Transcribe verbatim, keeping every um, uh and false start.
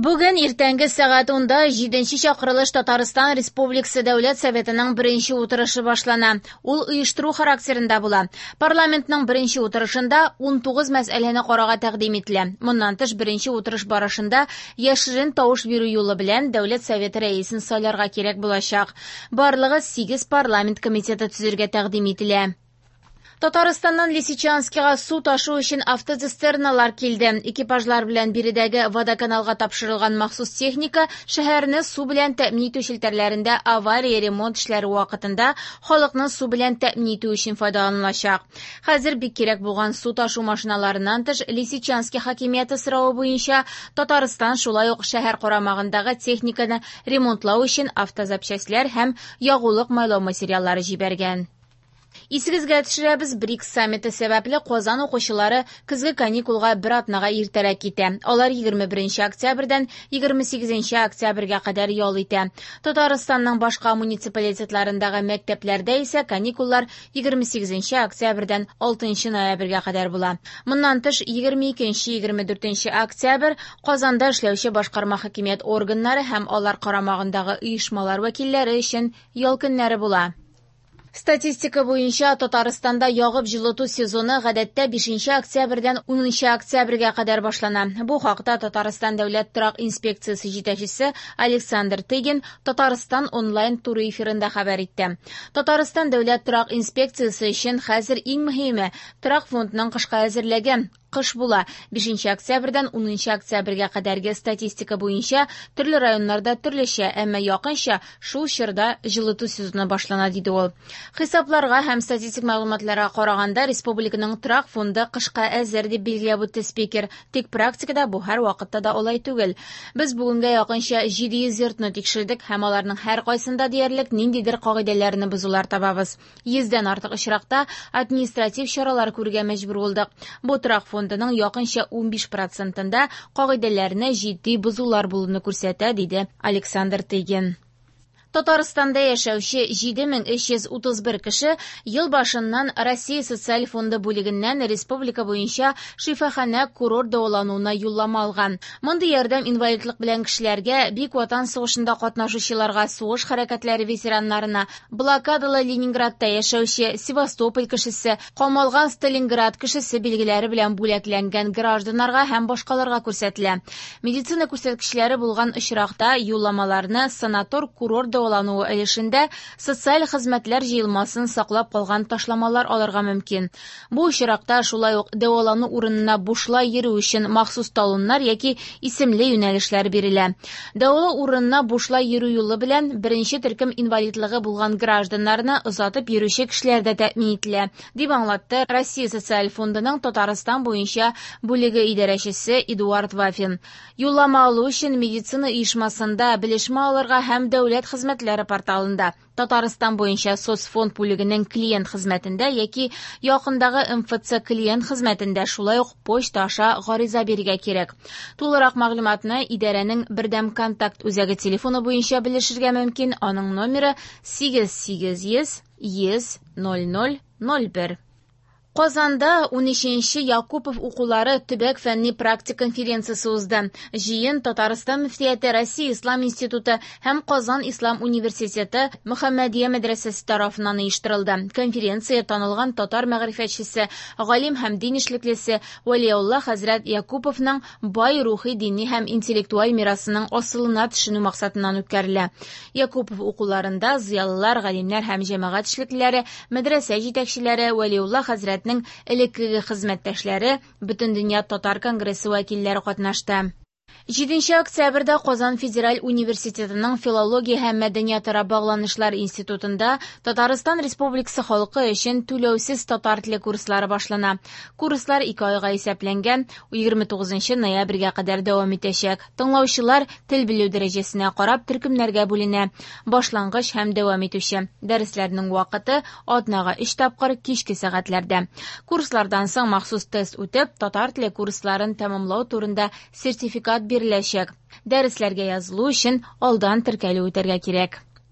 Бүген иртәнге сәгать унда җиденче чакырылыш Татарстан Республикасы Дәүләт Советының беренче утырышы башлана. Ул оештыру характерында була. Парламентның беренче утырышында ун тугыз мәсьәләне карарга тәкъдим ителә. Моннан тыш беренче утырыш барышында яшерен тавыш бирү юлы белән Дәүләт Советы рәисен сайларга кирәк булачак. Барлыгы сигез парламент комитеты төзергә тәкъдим ителә. Татарстаннан Лисичанскига су ташу өчен автоцистерналар килде. Экипажлар белән биредәге водоканалга тапшырылган махсус техника шәһәрне су белән тәэмин итү челтәрләрендә авария ремонт эшләре вакытында халыкны су белән тәэмин итү өчен файдаланылачак. Хәзер бик кирәк булган су ташу машиналарыннан тыш Лисичанский хакимияте соравы буенча Татарстан шулай ук шәһәр карамагындагы техниканы ремонтлау өчен автозапчастьләр һәм ягулык майлау материаллары җибәргән. Исегезгә төшерәбез, БРИКС саммиты сәбәпле Казан укучылары көзге каникулга бер атнага иртәрәк китә. Алар егерме беренче октябрьдән егерме сигезенче октябрьгә кадәр ял итә. Татарстанның башка муниципалитетларындагы мәктәпләрдә исә каникуллар егерме сигезенче октябрьдән алтынчы ноябрьгә кадәр була. Моннан тыш егерме икенче, егерме дүртенче октябрь Казанда эшләүче башкарма хакимият органнары һәм алар карамагындагы оешмалар вәкилләре өчен ял көннәре була. Статистика буенча Татарстанда ягып җылыту сезоны гадәттә бишенче октябрьдән унынчы октябрьгә кадәр башлана. Бу хакта Татарстан Дәүләт торак инспекциясе җитәкчесе Александр Тыгин Татарстан онлайн туры эфирында хәбәр итте. Татарстан Дәүләт торак инспекциясе өчен хәзер иң мөһиме торак фондының кышка әзерлеге. Кыш була. Бишенче октябрьдән унынчы октябрьгә кадәрге статистика буенча төрле районнарда төрлечә, әмма якынча шул чорда җылыту сезоны башлана, диде ул. Хисапларга һәм статистик мәгълүматларга караганда республиканың торак фонды кышка әзер дип билгеләп үтте спикер. Тик практикада бу һәр вакытта да алай түгел. Без бүгенгә якынча җиде йөз йортны тикшердек һәм аларның һәр кайсында диярлек ниндидер кагыйдәләрне бозулар табабыз. Йөздән артык очракта административ чаралар күрергә мәҗбүр булдык. Бу торак фондының якынча унбиш процентында кагыйдәләрне җитди бозулар булуны күрсәтә, диде Александр Тыгин. Татарстанда яшәүче җиде мең өч йөз утыз бер кеше ел башыннан Россия социаль фонды бүлегеннән республика буенча шифаханә курорт дәвалануына юллама алган. Мондый ярдәм инвалидлык белән кешеләргә, Бөек Ватан сугышында катнашучыларга, сугыш хәрәкәтләре ветераннарына, блокадалы Ленинградта яшәүче Севастополь кешесе, камалган Сталинград кешесе билгеләре белән бүләкләнгән гражданнарга һәм башкаларга күрсәтелә. Медицина күрсәткечләре булган очракта юлламаларны санатор курорт дәвалануы өлешендә социаль хезмәтләр җыелмасын саклап калган ташламалар алырга мөмкин. Бу очракта шулай ук дәвалану урынына бушлай йөрү өчен махсус талоннар яки исемле юнәлешләр бирелә. Дәвалау урынына бушлай йөрү юлы белән беренче төркем инвалидлыгы булган гражданнарны озатып йөрүче кешеләр дә тәэмин ителә, дип аңлатты Россия социаль фондының Татарстан буенча бүлеге идарәчесе Эдуард Вафин. Юллама алу өчен медицина оешмасында белешмә алырга һәм дәүләт хезмәтләре порталында, Татарстан буенча соцфонд бүлегенең клиент хезмәтендә яки якындагы эм эф цэ клиент хезмәтендә шулай ук почта аша гариза бирергә кирәк. Тулырак мәгълүматны идарәнең бердәм контакт үзәге телефоны буенча белешергә мөмкин. Аның номеры сигез сигез йөз йөз ноль ноль ноль бер. Казанда унөченче Якупов укулары төбәк фәнни практик конференциясе узды. Җыен Татарстан мөфтияте, Россия Ислам институты һәм Казан Ислам университеты Мөхәммәдия мәдрәсәсе тарафыннан оештырылды. Конференция танылган татар мәгърифәтчесе, галим һәм дин эшлеклесе Вәлиулла хәзрәт Якуповның бай рухи, дини һәм интеллектуаль мирасының асылына төшенү максатыннан үткәрелә. Якупов укуларында зыялылар, галимнәр һәм җәмәгать эшлеклеләре, мәдрәсә җитәкчеләре, Вәлиулла хәзрәт элеккеге хезмәттәшләре, Бөтендөнья татар конгрессы вәкилләре катнашты. Җиденче октябрьдә Казан федераль университетының филология һәм мәдәниятара багланышлар институтында Татарстан Республикасы халкы өчен түләүсез татар теле курслары башлана. Курслар ике айга исәпләнгән, егерме тугызынчы ноябрьгә кадәр дәвам итәчәк. Тыңлаучылар тел белү дәрәҗәсенә карап төркемнәргә бүленә. Башлангыч һәм дәвам итүче. Дәресләрнең вакыты атнага өч тапкыр кичке сәгатьләрдә. Курслардан соң махсус тест үтеп, татар теле курсларын тәмамлау турында сертификат биреләчәк. Дәресләргә язылу өчен алдан теркәлү үтәргә кирәк.